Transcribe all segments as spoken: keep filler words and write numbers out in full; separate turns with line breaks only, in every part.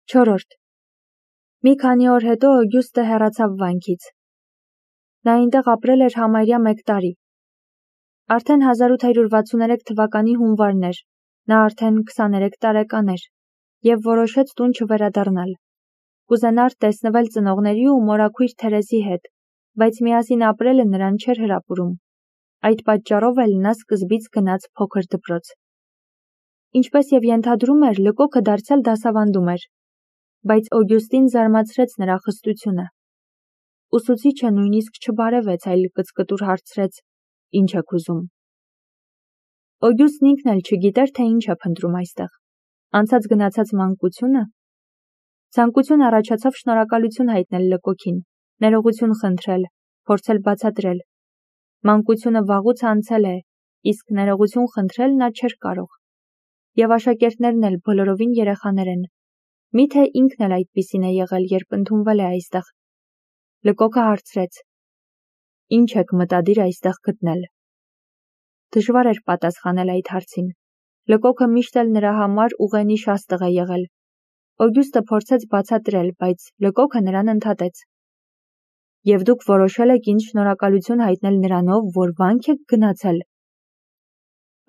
Չորրորդ Մի քանի օր հետո Օգյուստը հեռացավ վանքից։ Նա այնտեղ ապրել էր համարյա մեկ տարի։ Արդեն հազար ութ հարյուր վաթսուներեք թվականի հունվարն էր, նա արդեն քսաներեք տարեկան էր, և որոշեց տուն չվերադառնալ։ Կուզենար տեսնվել ծնողների ու մորաքույր Թերեզի հետ, բայց միասին ապրելը նրան չէր հրապուրում։ Այդ պատճառով էլ նա սկզբից գնաց փոքր դպրոց։ Ինչպես և ենթադրում էր, լկոքը դարձյալ դասավանդում էր, բայց Օգյուստին զարմացրեց նրա խստությունը։ Ուսուցիչը նույնիսկ չբարևեց, այլ կծկտուր հարցրեց. «Ինչ եք ուզում»։ Օգյուստն ինքն էլ չգիտեր, թե ինչ է փնտրում այստեղ։ Անցած գնացած մանկությունը։ Ցանկություն առաջացավ շնորհակալություն հայտնել լկոքին, ներողություն խնդրել, փորձել բացատրել։ Մանկությունը վաղուց անցել է, իսկ ներողություն խնդրել նա չէր կարող։ Եվ աշակերտներն էլ բոլորովին երեխաներ են։ Միթե ինքն էլ այդպիսին է եղել, երբ ընդունվել է այստեղ։ Լկոքը հարցրեց. «Ինչ եք մտադիր այստեղ գտնել»։ Դժվար էր պատասխանել այդ հարցին։ Լկոքը միշտ էլ նրա համար ուղենիշ աստղ է եղել։ Օգյուստը փորձեց բացատրել, բայց լկոքը նրան ընդհատեց։ «Եվ դուք որոշել եք ինձ շնորհակալություն հայտնել նրանով, որ վանք եք գնացել»։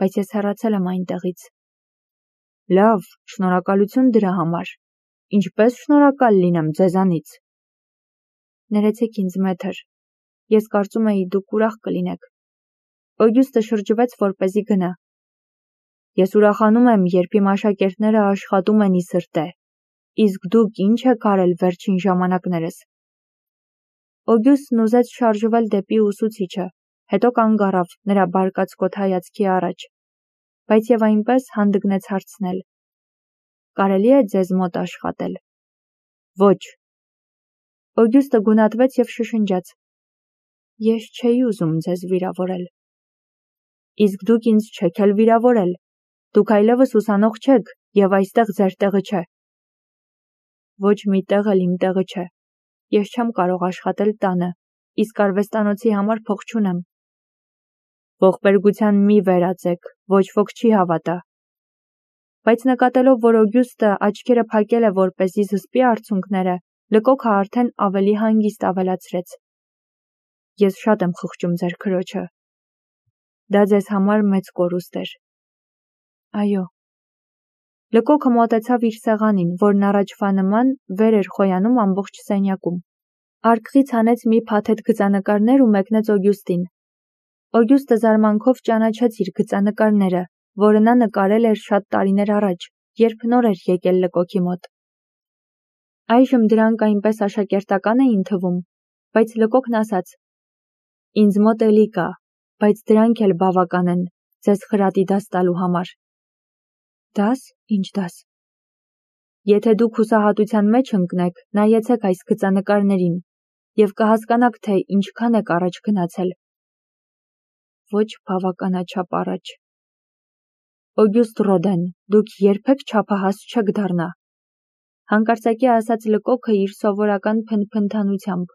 Բայց ես հեռացել եմ այնտեղից։ Լավ, շնորհակալություն դրա համար։ Ինչպես շնորհակալ լինեմ ձեզանից։ Ներեցեք ինձ, մեթր։ Ես կարծում էի դուք ուրախ կլինեք։ Օգյուստը շրջվեց, որպեսզի գնա։ Ես ուրախանում եմ, երբ իմ աշակերտները աշխատում են ի սրտե։ Իսկ դուք ինչ եք արել վերջին ժամանակներս։ Օգյուստն ուզեց շարժվել դեպի ուսուցիչը, հետո կանգ առավ նրա բարկացկոտ հայացքի առաջ, բայց և այնպես հանդգնեց հարցնել. «Կարելի է ձեզ մոտ աշխատել»։ Ոչ։ Օգյուստը գունատվեց և շշնջաց. «Ես չէի ուզում ձեզ վիրավորել»։ Իսկ դուք ինձ չեք էլ վիրավորել։ Դուք այլևս ուսանող չեք, և այստեղ ձեր տեղը չէ։ Ոչ մի տեղ էլ իմ տեղը չէ։ Ես չեմ կարող աշխատել տանը, իսկ արվեստանոցի համար փող չունեմ։ Ողբերգության մի վերածեք, ոչ ոք չի հավատա։ Բայց նկատելով, որ Օգյուստը աչքերը փակել է, որպեսզի զսպի արցունքները, լկոքը արդեն ավելի հանգիստ ավելացրեց. Ես շատ եմ խղճում ձեր քրոջը։ Դա ձեզ համար մեծ կորուստ էր։ Այո։ Լկոքը մոտեցավ իր սեղանին, որն առաջվա նման վեր էր խոյանում ամբողջ սենյակում։ Արկղից հանեց մի փաթեթ գծանկարներ ու մեկնեց Օգյուստին։ Օգյուստը զարմանքով ճանաչեց իր գծանկարները, որը նա նկարել էր շատ տարիներ առաջ, երբ նոր էր եկել լկոքի մոտ։ Այժմ դրանք այնպես աշակերտական էին թվում, բայց լկոքն ասաց. Ինձ մոտ էլի կա, բայց դրանք էլ բավական են ձեզ խրատի դաս տալու համար։ Դաս, ինչ դաս։ Եթե դուք հուսահատության մեջ ընկնեք, նայեցեք այս գծանկարներին և կհասկանաք, թե ինչքան եք առաջ գնացել։ Ոչ բավականաչափ առաջ։ Օգյուստ Ռոդեն, դուք երբեք չափահաս չեք դառնա։ Հանկարծակի ասաց լկոքը իր սովորական փնփնթանությամբ։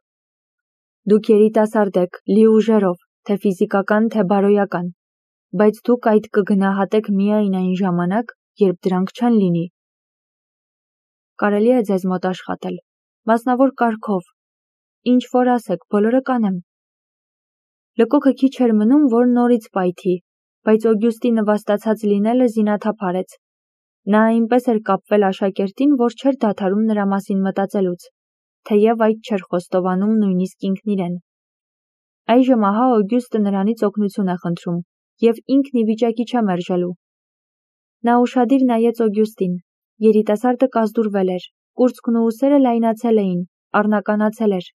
Դուք երիտասարդ եք, լի ուժերով, թե ֆիզիկական, թե բարոյական, բայց դուք այդ կգնահատեք միայն այն ժամանակ, երբ դրանք չեն լինի։ Կարելի է ձեզ մոտ աշխատել, մասնավոր կարգով, ինչ որ ասեք, բոլորը կանեմ։ Լկոքը քիչ էր մնում, որ նորից պայթի, բայց Օգյուստի նվաստացած լինելը զինաթափ արեց։ Նա այնպես էր կապվել աշակերտին, որ չէր դադարում նրա մասին մտածելուց, թեև այդ չէր խոստովանում նույնիսկ ինքն իրեն։ Այժմ ահա Օգյուստը նրանից օգնություն է խնդրում, և ինքն ի վիճակի չէ մերժելու։ Նա ուշադիր նայեց Օգյուստին, երիտասարդը կազդուրվել էր, կուրծքն ու ուսերը լայնացել էին, առնականացել էր,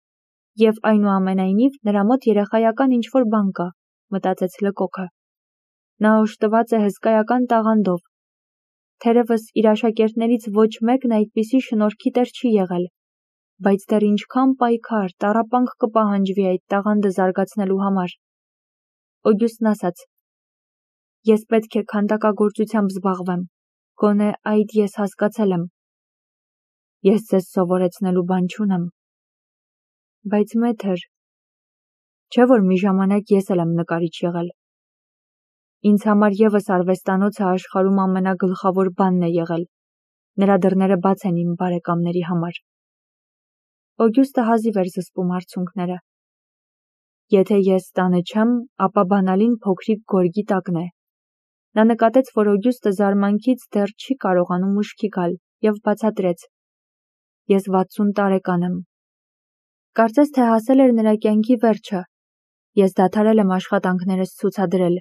և այնուամենայնիվ նրա մոտ երեխայական ինչ-որ բան կա, մտածեց լկոքը։ Նա օժտված է հսկայական տաղանդով։ Թերևս իր աշակերտներից ոչ մեկն այդպիսի շնորհքի տեր չի եղել, բայց դեռ ինչքան պայքար, տառապանք կպահանջվի այդ տաղանդը զարգացնելու համար։ Օգյուստն ասաց. Ես պետք է քանդակագործությամբ զբաղվեմ, գոնե այդ ես հասկացել եմ։ Ես ձեզ սովորեցնելու բան չունեմ։ Բայց մեթր, չէ՞ որ մի ժամանակ ես էլ եմ նկարիչ եղել։ Ինձ համար ևս արվեստանոցը աշխարհում ամենագլխավոր բանն է եղել։ Նրա դռները բաց են իմ բարեկամների համար։ Օգյուստը հազիվ էր զսպում արցունքները։ Եթե ես տանը չեմ, ապա բանալին փոքրիկ գորգի տակն է։ Նա նկատեց, որ Օգյուստը զարմանքից դեռ չի կարողանում ուշքի գալ և բացատրեց. Ես վաթսուն տարեկան եմ։ Կարծես թե հասել էր նրա կյանքի վերջը։ Ես դադարել եմ աշխատանքներս ցուցադրել,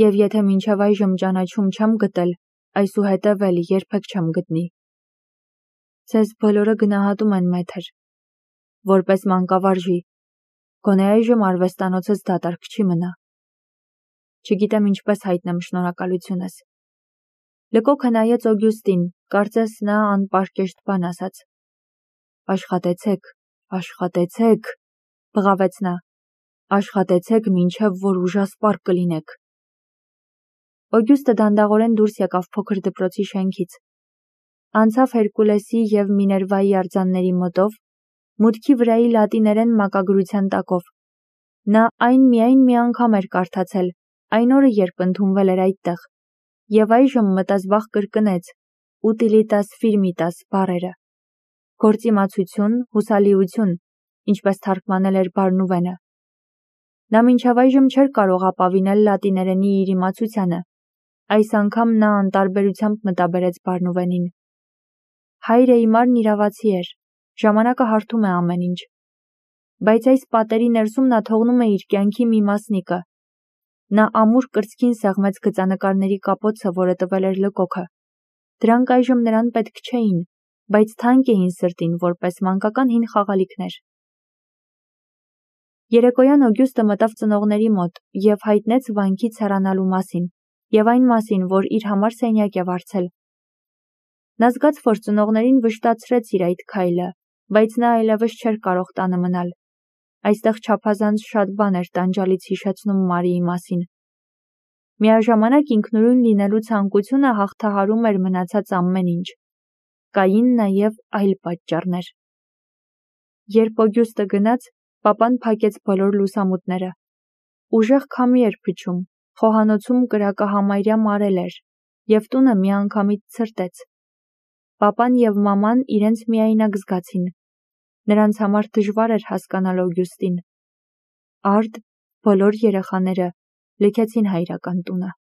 և եթե մինչև այժմ ճանաչում չեմ գտել, այսուհետև էլ երբեք չեմ գտնի։ Ձեզ բոլորը գնահատում են, մեթր, որպես մանկավարժի, գոնե այժմ արվեստանոցս դատարկ չի մնա։ Չգիտեմ ինչպես հայտնեմ շնորհակալությունս։ Լկոքը նայեց Օգյուստին, կարծես նա անպարկեշտ բան ասաց։ Աշխատեցեք, աշխատեցեք, բղավեց նա, աշխատեցեք մինչև որ ուժասպառ կլինեք։ Օգյուստը դանդաղորեն դուրս եկավ փոքր դպրոցի շենքից։ Անցավ Հերկուլեսի և Միներվայի արձանների մոտով, մուտքի վրայի լատիներեն մակագրության տակով։ Նա այն միայն մի անգամ էր կարդացել, այն օրը, երբ ընդունվել էր այդտեղ, և այժմ մտազբաղ կրկնեց «Utilitas firmitas» բառերը։ Գործիմացություն, հուսալիություն, ինչպես թարգմանել էր Բարնուվենը։ Նա մինչև այժմ չէր կարող ապավինել լատիներենի իր իմացությանը։ Այս անգամ նա անտարբերությամբ մտաբերեց Բարնուվենին։ Հայրը իմարն իրավացի էր, ժամանակը հարթում է ամեն ինչ։ Բայց այս պատերի ներսում նա թողնում է իր կյանքի մի մասնիկը։ Նա ամուր կրծքին սեղմեց գծանկարների կապոցը, որը տվել էր Լկոքը։ Դրանք այժմ նրան պետք չէին, բայց թանկ էին սրտին, որպես մանկական հին խաղալիքներ։ Երեկոյան Օգյուստը մտավ ծնողների մոտ և հայտնեց վանքից հեռանալու մասին, և այն մասին, որ իր համար սենյակ է վարձել։ Նա զգաց, որ ծնողներին վշտացրեց իր այդ քայլը, բայց նա այլևս չէր կարող տանը մնալ։ Այստեղ չափազանց շատ բան էր տանջալից հիշեցնում Մարիի մասին։ Միաժամանակ ինքնուրույն լինելու ցանկությունը հաղթահարում էր մնացած ամեն ինչ։ Կային նաև այլ պատճառներ։ Երբ Օգյուստը գնաց, պապան փակեց բոլոր լուսամուտները։ Ուժեղ քամի էր փչում, խոհանոցում կրակը համարյա մարել էր, և տունը միանգամից ցրտեց։ Պապան և մաման իրենց միայնակ զգացին։ Նրանց համար դժվար էր հասկանալ Օգյուստին։ Արդ, բոլոր երեխաները լքեցին հայրական տունը։